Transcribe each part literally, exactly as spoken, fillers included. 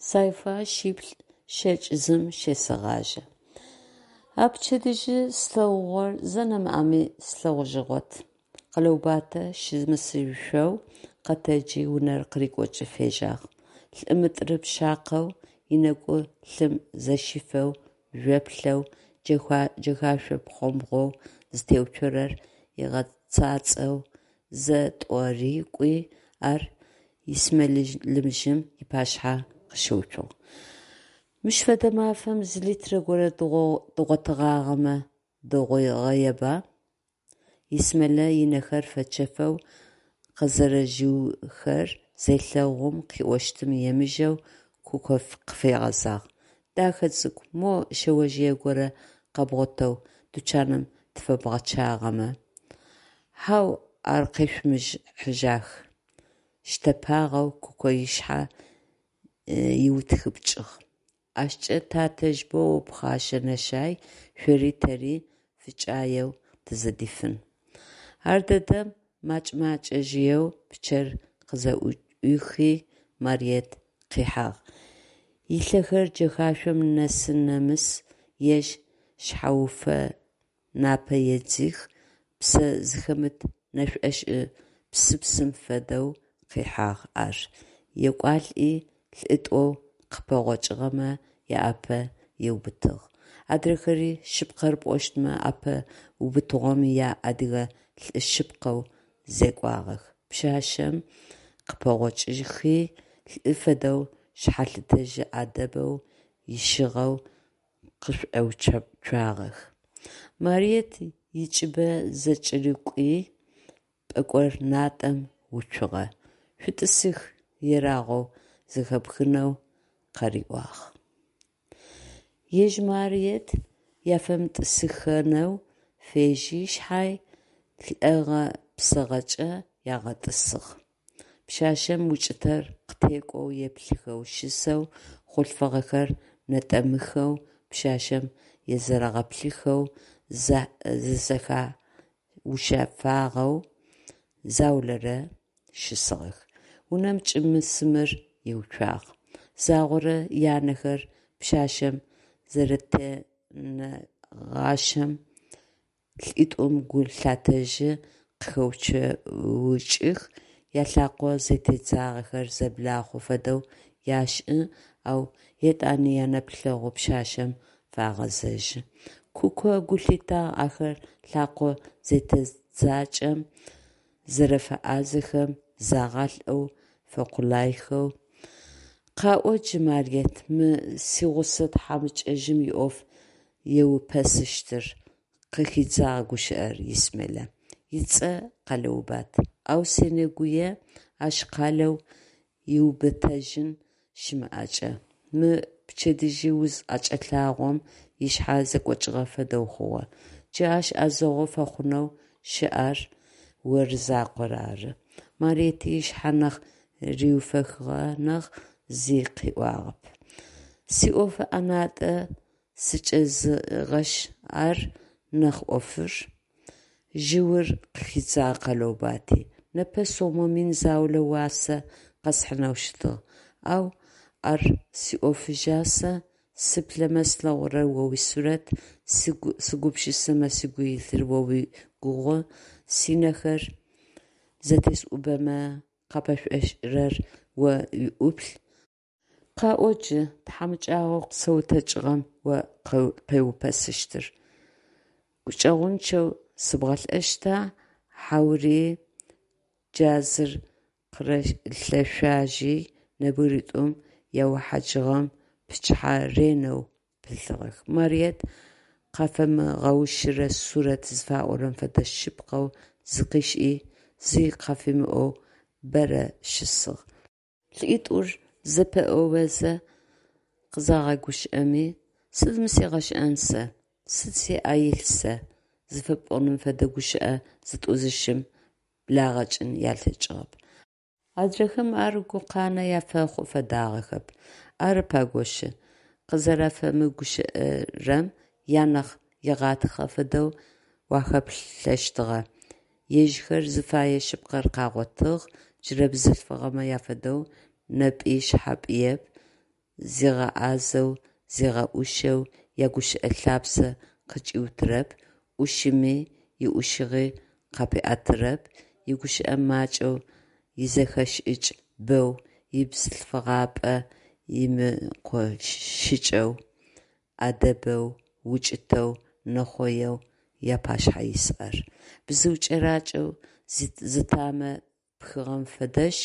Сайфа шиплӏ щэкӏ зым щесэгъажъэ. А пчэдыжьы слъэгъугъэр зэ нэмыӏэми слъэгъужьыгъот. Къэлэубатэ щымысышъоу къэтэджи, унэр къырикӏукӏэу фежьагъ. Лӏы мытӏыры-пшъакъэу, ынэкӏу лъым зэщифэу, жъоплъэу, джэхашъо пхъомбгъоу зытеуцорэр ыгъэцӏацӏэу зэ-тӏо рикӏуи, ар Исмелымыжъым ыпашъхьэ къыщыуцугъ. Мыщ фэдэ мафэм зы литрэ горэ дгъотыгъагъэмэ дэгъугъэеба? Исмелэ ынэхэр фэчэфэу къызэрэжъыухэр зелъэгъум, къыӏощтым емыжэу Куко къыфигъэзагъ: Дэхэ цӏыкӏу, мо шъэожъые горэ къэбгъотэу тучаным тыфэбгъэчъагъэмэ. Хьау, ар къешъумыхьыжьах, – щтэпагъэу Куко ышъхьэ ыутхыпкӏыгъ. Ащкӏэ татэжъ боу пхъэшэ-нэшай, шъори тэри фыкӏаеу тызэдифын. Ардэдэм мэкӏэ-макӏэжъыеу пчъэр къызэӏуихи, Мариет къихьагъ. Ылъэхэр джэхашъом нэс-нэмыс ежь шъхьэуфэ напэ едзых, псэ зыхэмыт нэшӏошӏы псыпсым фэдэу къихьагъ ар, екӏуалӏи, лӏитӏоу къыпэгъокӏыгъэмэ аӏапэ ыубытыгъ. Адрэхэри, шъыпкъэр пӏощтмэ, ӏэпэ убытыгъом яадыгэ лӏы шъыпкъэу зекӏуагъэх: пшъашъэм къыпэгъокӏхи, лӏы фэдэу шъхьэлъытэжь ӏэдэбэу ышӏыгъэу къышӏоуцуагъэх. Мариет ыкӏыбэ зэкӏэрыкӏуи, пӏэкӏор натӏэм уцугъэ, «шъутӏысых» ерагъэу зэхэпхынэу къариӏуагъ. Ежь Мариет яфэмытӏысыхэнэу фежьи шъхьай, лӏэгъэ псэгъэкӏэ ягъэтӏысыгъ. Пшъашъэм укӏытэр къытекӏоу еплъыхэу щысэу, хъулъфыгъэхэр нэтӏэмыхэу пшъашъэм езэрэгъэплъыхэу, зызэхаушъэфагъэу заулэрэ щысыгъэх. Унэм кӏым-сымыр иуцуагъ. Загъорэ янэхэр пшъашъэм зэрэтенэгъащэм лӏитӏум гу лъатэжьы, къыхэчэукӏых, ялъэкъо зэтедзагъэхэр зэблахъу фэдэу яшӏы, ау етӏани янэплъэгъу пшъашъэм фагъэзэжьы. Куко гу лъитагъ ахэр лъэкъо зэтедзакӏэм зэрэфэӏазэхэм, загъалӏэу фэкъулайхэу. Къаӏо джы, Мариет, мы сигъусэ тхьамыкӏэжъым иӏоф еупэсыщтыр, – къыхидзагъ гущыӏэр Исмелэ. Ыцӏэ Къэлэубат, ау сенэгуе ащ къалэу ыубытэжьын щымыӏэкӏэ. Мы пчэдыжь уз ӏэкӏэлъагъом ышъхьэ зэкӏокӏыгъэ фэдэу хъугъэ. Джы ащ ӏэзэгъу фэхъунэу щыӏэр оры закъор ары. Мариети ышъхьэ нахь риуфэхыгъэ нахь, зи къыӏуагъэп. Сиӏоф ӏэнатӏэ сыкӏэзыгъэшъ ары нахь ӏофыр, жъыур къыхидзагъ Къэлэубати, непэ сомэ мин заулэ уасэ къэсхьынэу щытыгъ. Ау ар сиӏофыжьа сэ, сыплъэмэ слъэгъурэр о уисурэт, сыгупшысэмэ сыгу илъыр о уигугъу, сынэхэр зэтесӏубэмэ къапэшӏошӏырэр о уиӏуплъ. Къаӏо джы, тхьамыкӏагъоу къысэутэкӏыгъэм о къеупэсыщтыр: гукӏэгъунчъэу сыбгъэлӏэщта, хьаури... Джазыр къырилъэшъуажьи, нэбгыритӏум яухьаджыгъэм пычъыхьэ ренэу пылъыгъэх. Мариет къафэмыгъэущырэ сурэт зыфаӏорэм фэдэ шъыпкъэу зыкъишӏи, зи къафимыӏоу бэрэ щысыгъ. ЛӀитӀур зэпэӀоуэзэ къызагъэгущыӀэми, «сыд мы сигъэшӀэн сэ, сыд сиӀэ илъ сэ» зыфэпӀоным фэдэ гущыӀэ зытӀу-зыщым благъэкӀын алъэкӀыгъэп. Адрэхэм ар гукъанэ афэхъу фэдагъэхэп. Ары пакӀошъы, къызэрафэмыгущыӀэрэм янахь егъатхъэ фэдэу уахаплъэщтыгъэ, ежьхэр зыфэе шъыпкъэр къагъотыгъ, джырэ бзылъфыгъэмэ афэдэу напӏи шъхьапӏиеп, Зигъэӏазэу, зигъэӏушэу ягущыӏэ лъапсэ къыкӏиутырэп, ӏушыми, иӏушыгъи къапиӏэтырэп, игущыӏэ макӏэу изэхэшӏыкӏ бэу, ибзылъфыгъапӏэ имыкъощыкӏэу, ӏэдэбэу, укӏытэу, нэхъоеу япашъхьэ ис ар. Бзыу кӏэракӏэу зытамэ пхыгъэм фэдэшъ,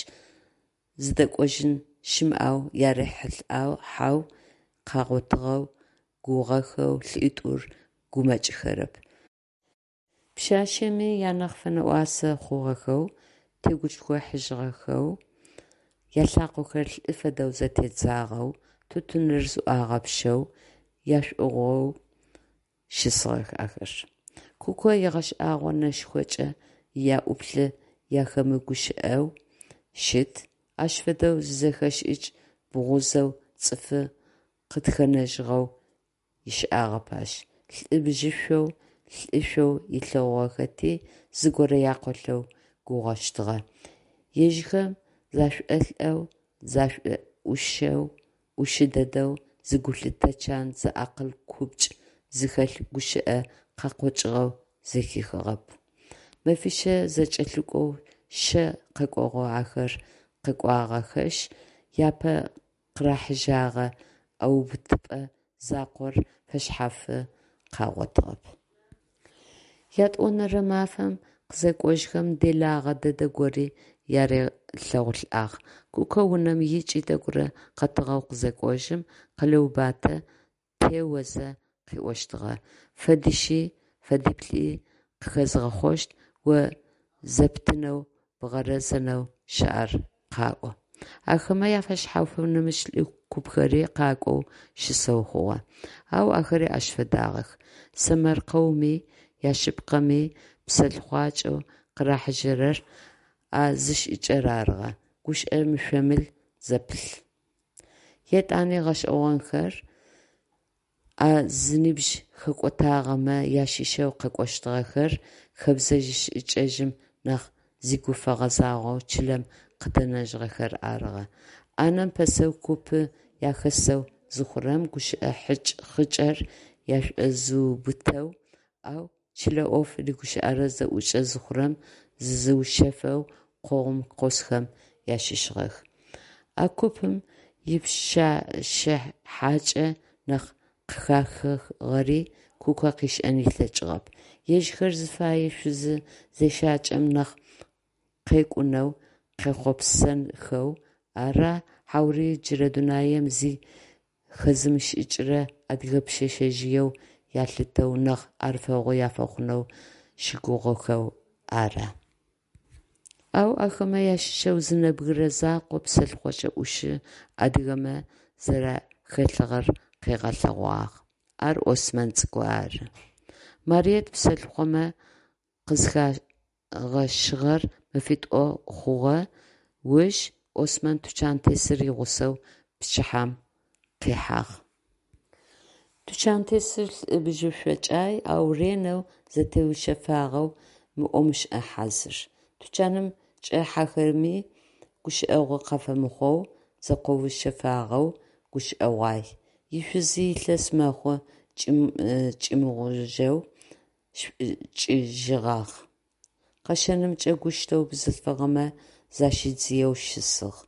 зыдэкӏожьын щымыӏэу ярихьылӏэхьэу къагъотыгъэу гугъэхэу лӏитӏур гумэкӏхэрэп. Пшъашъэми янахь фэнэӏуасэ хъугъэхэу, тегушхухьажьыгъэхэу, ялъакъохэр лӏы фэдэу зэтедзагъэу, тутыныр зыӏуагъэпщэу, яшӏугъоу щысыгъэх ахэр. Куко егъэшӏагъо нэшхокӏэ яӏуплъи ахэмыгущыӏэу щыт, ащ фэдэу зизэхэшӏыкӏ бгъузэу цӏыфы къытхэнэжьыгъэу ышӏагъэп ащ. Лӏы бжьышъоу, лӏышъоу ылъэгъугъэхэти, зыгорэ якъолъэу гугъэщтыгъэ. Ежьхэм зашӏолӏэу, зашӏоӏушэу, ӏушы дэдэу, зигулъытэ чан, зиакъыл купкӏ зыхэлъ гущыӏэ къакъокӏыгъэу зэхихыгъэп. Мэфищэ зэкӏэлъыкӏоу щэ къэкӏогъу ахэр къэкӏуагъэхэшъ, япэ къырахьыжьэгъэ ӏэубытыпӏэ закъор фэшъхьафы къагъотыгъэп. Ятӏонэрэ мафэм къызэкӏожьхэм делагъэ дэдэ гори ярилъэгъулӏагъ. Куко унэм икӏи тӏэкӏурэ къэтыгъэу къызэкӏожьым, Къэлэубатэ теозэ къыӏощтыгъэ: «Фэдищи фэдиплӏи къыхэзгъэхъощт, о зэптынэу, бгъэрэзэнэу щыӏэр къаӏо». Ахэмэ афэшъхьафэу нэмыкӏ лӏы купхэри къакӏоу щысэу хъугъэ. Ау ахэри ащ фэдагъэх: сэмэркъэуми, яшъыпкъэми псэлъыхъуакӏэу къырахьыжьэрэр а зы шӏыкӏэр арыгъэ: гущыӏэ мышъо-мыл зэпылъ. Етӏани гъэшӏэгъонхэр а зыныбжь хэкӏотагъэмэ ащыщэу къакӏощтыгъэхэр хэбзэжъ-шӏыкӏэжъым нахь зыгу фэгъэзагъэу чылэм къыдэнэжьыгъэхэр арыгъэ. Ӏанэм пэсэу купы яхэсэу зыхъурэм, гущыӏэ хьыкӏ-хъыкӏэр яшӏозыубытэу, ау чылэ ӏоф рыгущыӏэрэ зэӏукӏэ зыхъурэм, зызыушъэфэу къогъум къосхэм ащыщыгъэх. А купым ипшъэшъэ хьакӏэ нахь къыхахыгъэри Куко къышӏэн ылъэкӏыгъэп. Ежьхэр зыфэе шъузы зещакӏэм нахь къекӏунэу къехъопсэхэу ара, хьаури джырэ дунаим зи хэзымышӏыкӏырэ адыгэ пшъэшъэжъыеу ялъытэу нахь ӏэрыфэгъу афэхъунэу щыгугъыхэу ара? Ау ахэмэ ащыщэу зы нэбгырэ закъо псэлъыхъокӏэ ӏушы адыгэмэ зэрахэлъыгъэр къыгъэлъэгъуагъ. Ар Осмэн цӏыкӏу ары. Мариет псэлъыхъомэ къызыхагъэщыгъэр мэфитӏу хъугъэ уж Осмэн тучантесыр игъусэу пчыхьэм къихьагъ. Тучантесыр лӏы бжьышъокӏай, ау ренэу зэтеушъэфагъэу, мыӏо-мышӏэ хьазыр. Тучаным чӏахьэхэми гущыӏэгъу къафэмыхъоу, зэкъоушъэфагъэу гущыӏэгъуай. Ишъузи илъэс мэхъу кӏымыгъужьэу шӏукӏыжьыгъагъ. Къэщэнымкӏэ гущтэу бзылъфыгъэмэ защидзыеу щысыгъ.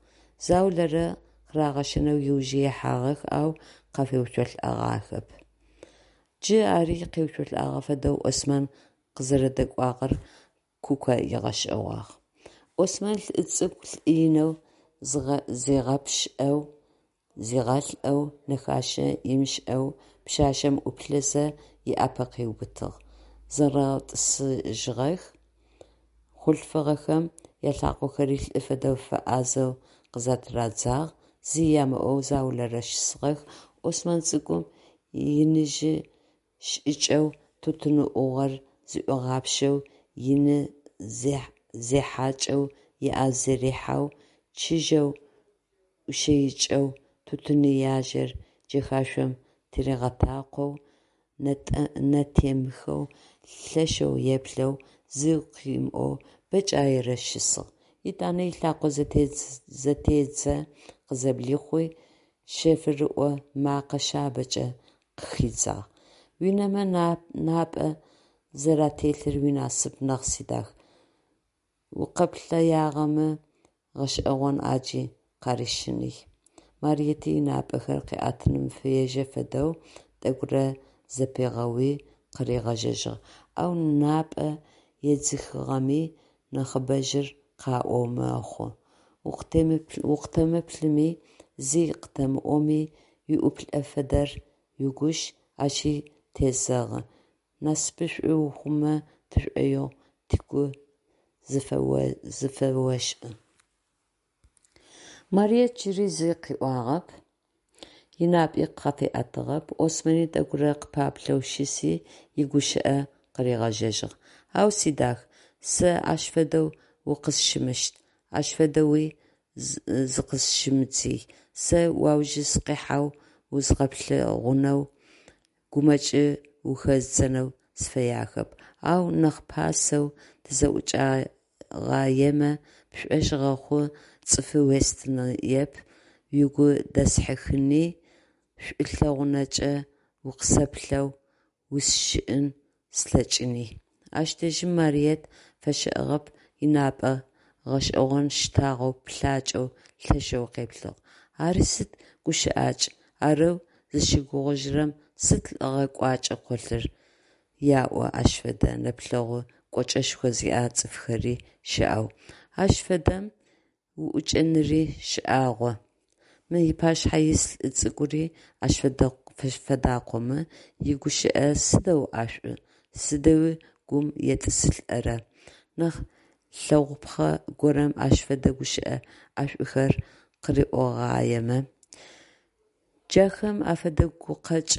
Заулэрэ къырагъэщэнэу ыуж ихьагъэх, ау къафеуцолӏагъэхэп. Джы ари къеуцолӏагъэ фэдэу Осмэн къызэрэдэкӏуагъэр Куко ыгъэшӏэгъуагъ. Осмэн лӏы цӏыкӏу лӏы инэу зигъэпшӏэу, зигъэлӏэу, нэхашэ ымышӏэу пшъашъэм ӏуплъэзэ, ыӏапэ къыубытыгъ. Зэрэгъэтӏысыжьыгъэх, хъулъфыгъэхэм ялъакъохэри лӏы фэдэу фэӏазэу къызэтырадзагъ, зи амыӏоу заулэрэ щысыгъэх. Осмэн цӏыкӏум иныжъы шӏыкӏэу тутын ӏугъор зыӏуигъапшэу, ины зехьакӏэу ыӏэ зэрихьэу, чыжьэу ӏуищэикӏэу, тутыныяжэр джэхашъом тыригъэтакъоу, нэтемыхэу лъэшэу еплъэу, зи къымыӏоу бэкӏаерэ щысыгъ. Етӏанэ ылъакъо зэтедзэ къызэблихъуи, Шъэфрыӏо мэкъэ шъабэкӏэ къыхидзагъ: «Уинэмэ напӏэ зэрателъыр уинасып нахь, сидах, укъэплъэягъэмэ, гъэшӏэгъон ӏаджи къарищыный». Мариети ынапӏэхэр къыӏэтыным фежьэ фэдэу тӏэкӏурэ зэпигъэуи, къыригъэжьэжьыгъ: «Ау напӏэ едзыхыгъэми нахьыбэжьыр къаӏоу мэхъу. Укъытэмыплъыми, зи къытэмыӏоми, уиӏуплъэ фэдэр уигущ, ащи тезэгъы, насыпышӏо ухъумэ тшӏоигъу, тыгу зыфэошӏы. Мариет джыри зи къыӏуагъэп, ынапӏи къыфиӏэтыгъэп. Осмэни тӏэкӏурэ къыпаплъэу щыси, игущыӏэ къыригъэжьэжьыгъ: «Ау, сидах, сэ ащ фэдэу укъысщымыщт, ащ фэдэуи зыкъысщымыдзый. Сэ уауж сыкъихьэу узгъэплъэгъунэу, гумэкӏы ухэздзэнэу сыфэяхэп, ау нахь пасэу тызэӏукӏэгъаемэ, пшӏошъ гъэхъу, цӏыфы уестыныеп, угу дэсхьыхыни, шӏулъэгъунэкӏэ укъысэплъэу усщыӏэн слъэкӏыни. Ащ дэжьым Мариет фэщыӏагъэп, ынапӏэ гъэшӏэгъон щтагъэу плъакӏэу лъэшэу къеплъыгъ. Ари сыд гущыӏакӏ, арэу зыщыгугъыжьырэм сыд лӏыгъэ кӏуачӏэ къолъыр яӏо ащ фэдэ нэплъэгъу кӏочӏэшхо зиӏэ цӏыфхэри щыӏэу, ащ фэдэм уӏукӏэныри шӏагъо, мы ыпашъхьэ ис лӏы цӏыкӏури ащ фэдакъомэ, игущыӏэ сыдэу ӏэшӏу, сыдэуи гум етӏысылӏэрэ, нахь лъэгъупхъэ горэм ащ фэдэ гущыӏэ ӏэшӏухэр къыриӏогъаемэ. Джахэм афэдэ гукъэкӏ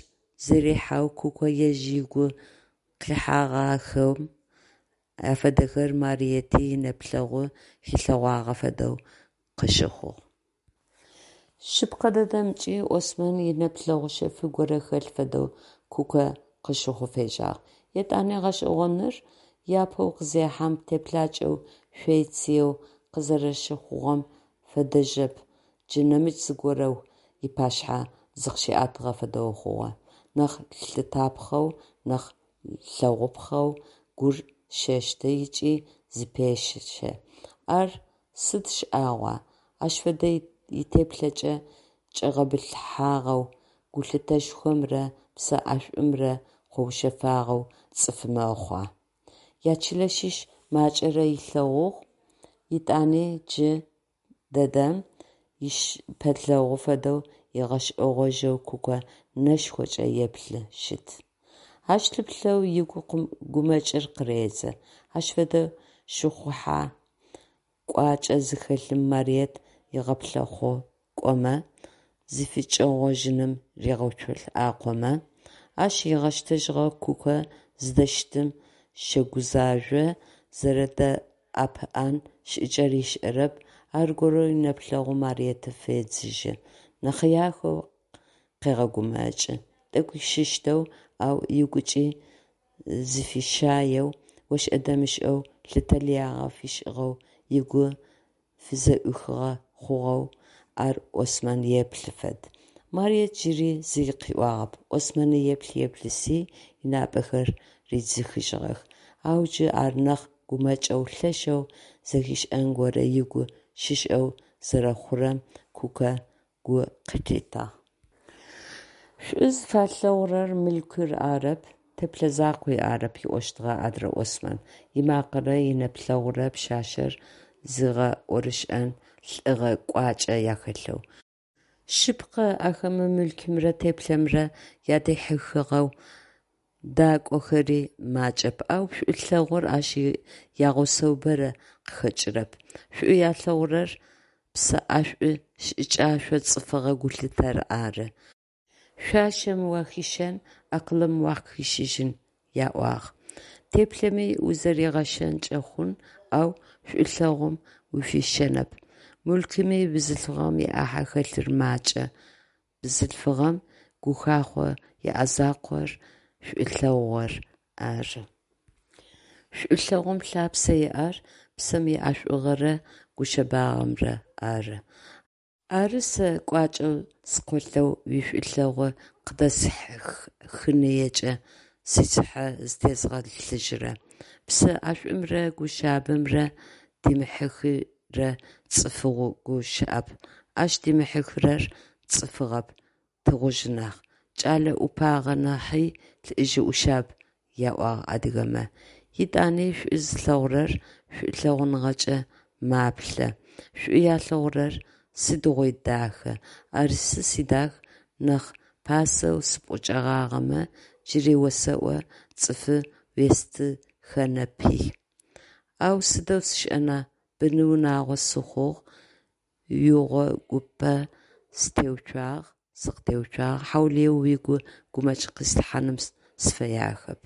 зэрихьэу Куко ежь ыгу къихьагъахэм афэдэхэр Мариети инэплъэгъу хилъэгъуагъэ фэдэу къыщыхъугъ. Шъыпкъэ дэдэмкӏи, Осмэн инэплъэгъу шъэф горэ хэлъ фэдэу Кукэ къыщыхъоу фежьагъ. Етӏани гъэшӏэгъоныр, япэу къызехьэм теплъакӏэу шъой-цыеу къызэрэщыхъугъэм фэдэжьэп, джы нэмыкӏ зыгорэу ыпашъхьэ зыкъыщиӏэтыгъэ фэдэу хъугъэ, нахь лъытапхъэу, нахь лъэгъупхъэу, гур щештэ ыкӏи зыпещэ. Ар сыд шӏагъуа, ащ фэдэ итеплъэкӏэ чӏэгъэбылъыхьагъэу, гулъытэшхомрэ псэ ӏэшӏумрэ къэушъэфагъэу цӏыф мэхъуа? Ячылэ щыщ макӏэрэ ылъэгъугъ, етӏани джы дэдэм ищыпэлъэгъу фэдэу ыгъэшӏэгъожьэу Кукэ нэшхокӏэ еплъы щыт. Ащ лъыплъэу ыгу гумэкӏыр къыредзэ. Ащ фэдэ щыхъухьэ кӏуачӏэ зыхэлъым Мариет ыгъэплъэхъукъомэ, зыфыкӏэгъожьыным ригъэуцолӏакъомэ? Ащ ыгъэщтэжьыгъэ Кукэ зыдэщытым щэгузажъо, зэрэдэӏэпыӏэн шӏыкӏэр ышӏэрэп, аргорэу инэплъэгъу Мариет федзыжьы, нэхъыяхэу къегъэгумэкӏы, тӏэкӏуи щыщтэу, ау ыгукӏи зыфищаеу, ошӏэ-дэмышӏэу лъытэ лыягъэ фишӏыгъэу, ыгу фызэӏухыгъэ хъугъэу ар Осмэн еплъы фэд. Мариет джыри зи къыӏуагъэп, Осмэни еплъ-еплъызи, ынапӏэхэр ридзыхыжьыгъэх, ау джы ар нахь гумэкӏэу, лъэшэу зэхишӏэн горэ ыгу щышӏэу зэрэхъурэм Кукэ гу къылъитагъ. Шӏу зыфалъэгъурэр мылъкур арэп, теплъэ закъуи арэп, ыӏощтыгъэ адрэ Осмэн, ымакъэрэ инэплъэгъурэ пшъашъэр зыгъэӏорышӏэн лӏыгъэ кӏуачӏэ яхэлъэу. Шъыпкъэ, ахэмэ мылъкумрэ теплъэмрэ адэхьыхыгъэу дакӏохэри макӏэп, ау шӏулъэгъур ащ ягъусэу бэрэ къыхэкӏырэп. Шӏу алъэгъурэр псэ ӏэшӏу шӏыкӏашӏо цӏыфыгъэ гулъытэр ары. Шъуашэм уахищэн, акъылым уахищыжьын яӏуагъ. Теплъэми узэригъэщэнкӏэ хъун, ау шӏулъэгъум уфищэнэп. Мылъкуми бзылъфыгъэм иӏахь хэлъыр макӏэ, бзылъфыгъэм гухахъоу иӏэ закъор шӏулъэгъур ары. Шӏулъэгъум лъапсэ иӏэр псэм иӏэшӏугъэрэ гушъэбагъэмрэ ары. Ары сэ кӏуачӏэу скъолъэу уишӏулъэгъу къыдэсхыныекӏэ сицыхьэ зытезгъэлъыжьырэ. Псэ ӏэшӏумрэ гу шъабэмрэ димыхьыхырэ цӏыфыгу щыӏэп, ащ димыхьыхырэр цӏыфыгъэп, тыгъужъ нахь. Кӏэлэ ӏупагъэ нахьи лӏыжъы ӏушъаб яӏуагъ адыгэмэ. Етӏани шӏу зылъэгъурэр шӏулъэгъуныгъэкӏэ маплъэ, шӏу ялъэгъурэр сыдигъуи дахэ. Ары сы, сидах, нахь пасэу сыпӏукӏэгъагъэмэ, джыри осэӏо, цӏыфы уестыхэнэпи. Ау сыдэу сшӏына, бын-унагъо сыхъугъ, уигъогупэ сытеуцуагъ, сыкъытеуцуагъ, хьаулыеу угу гумэкӏ къислъхьаным сыфэягъэп.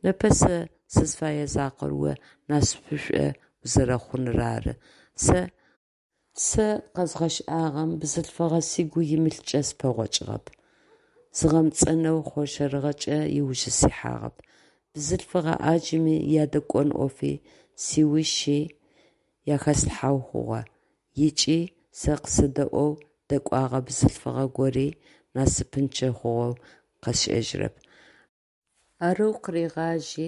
Непэ сэ сызыфэе закъор о насыпышӏо узэрэхъуныр ары. Сэ Сэ къэзгъэшӏагъэм бзылъфыгъэ сыгу имылъкӏэ сыпэгъокӏыгъэп, згъэмцӏэнэу хъоршэрыгъэкӏэ ыужы сихьагъэп, бзылъфыгъэ ӏаджми ядэкӏон ӏофи сиушъыий ахэслъхьэу хъугъэ ыкӏи сэ къысэдэӏоу дэкӏуагъэ бзылъфыгъэ гори насыпынчъэ хъугъэу къэсшӏэжьырэп. Арэу къыригъажьи,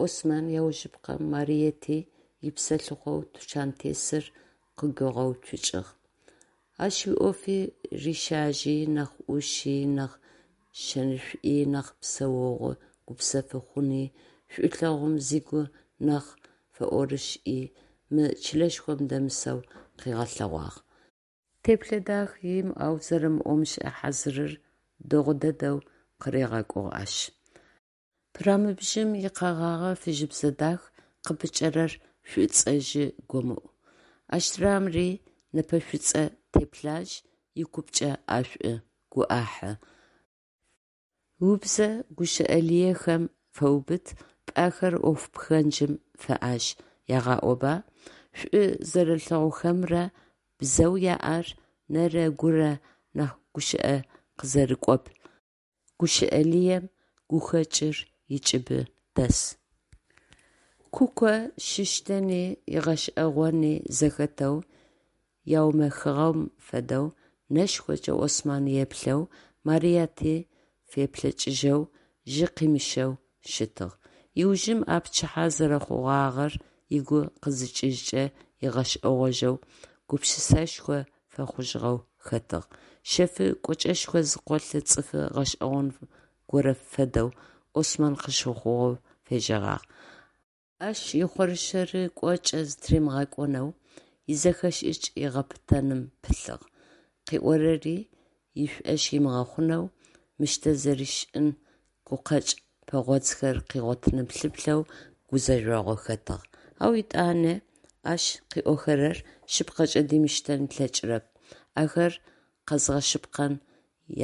Осмэн аужыпкъэм Мариети ипсэлъыхъоу тучантесыр къыгуигъэуцукӏыгъ. Ащ иӏофи рищажьи, нахь ӏуши, нахь шэнышӏуи, нахь псэогъу гупсэфы хъуни, шӏулъэгъум зыгу нахь фэӏорышӏи мы чылэшхом дэмысэу къыгъэлъэгъуагъ. Теплъэ дахи имыӏэу зэрэмыӏомышӏэ хьазырыр дэгъу дэдэу къыригъэкӏугъ ащ. Пырамыбжьым икъэгъагъэ фыжьыбзэ дах, къыпыкӏэрэр шӏуцӏэжъы гомыӏу. Аштрамри нэпэ шӏуцӏэ теплъажь, икупкӏэ ӏэшӏу, гу ӏахьы. Убзэ гущыӏэ лыехэм фэубыт, пӏэхэр ӏоф пхэнджым фэӏаж ягъаӏоба? Шӏу зэрэлъэгъухэмрэ бзэу яӏэр нэрэ гурэ нахь гущыӏэ къызэрыкӏоп, гущыӏэ лыем гухэкӏыр ыкӏыбы дэс. Куко щыщтэни ыгъэшӏэгъони зэхэтэу, яумэхыгъэм фэдэу нэшхокӏэ Осмэн еплъэу, Марыети феплъэкӏыжьэу, жьы къимыщэу щытыгъ. Ыужым а пчыхьэ зэрэхъугъагъэр ыгу къызыкӏыжькӏэ ыгъэшӏэгъожьэу, гупшысэшхо фэхъужьыгъэу хэтыгъ. Шъэфы кӏочӏэшхо зыкъолъ цӏыфы гъэшӏэгъон горэ фэдэу Осмэн къыщыхъугъэу фежьэгъагъ. Ащ ихъоршэры кӏуачӏэ зытыримыгъэкӏонэу, изэхэшӏыкӏ ыгъэпытэным пылъыгъ, къыӏорэри ышӏошъ ымыгъэхъунэу, мыштэ зэришӏын гукъэкӏ пэгъодзхэр къыгъотыным лъыплъэу гузэжъогъу хэтыгъ. Ау етӏани ащ къыӏохэрэр шъыпкъэкӏэ димыштэн ылъэкӏырэп, ахэр къэзгъэшъыпкъэн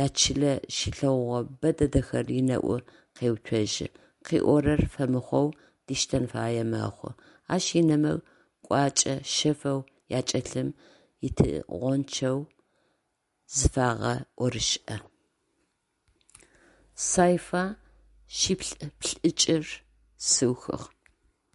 ячылэ щилъэгъугъэ бэ дэдэхэр ынэӏу къеуцожьы, къыӏорэр фэмыхъоу диштэн фае мэхъу, ащ ынэмэ кӏочӏэ шъэфэу акӏэлъым итыгъончъэу зыфагъэӏорышӏэ. Сайфа шъиплӏ-плӏыкӏыр сыухыгъ.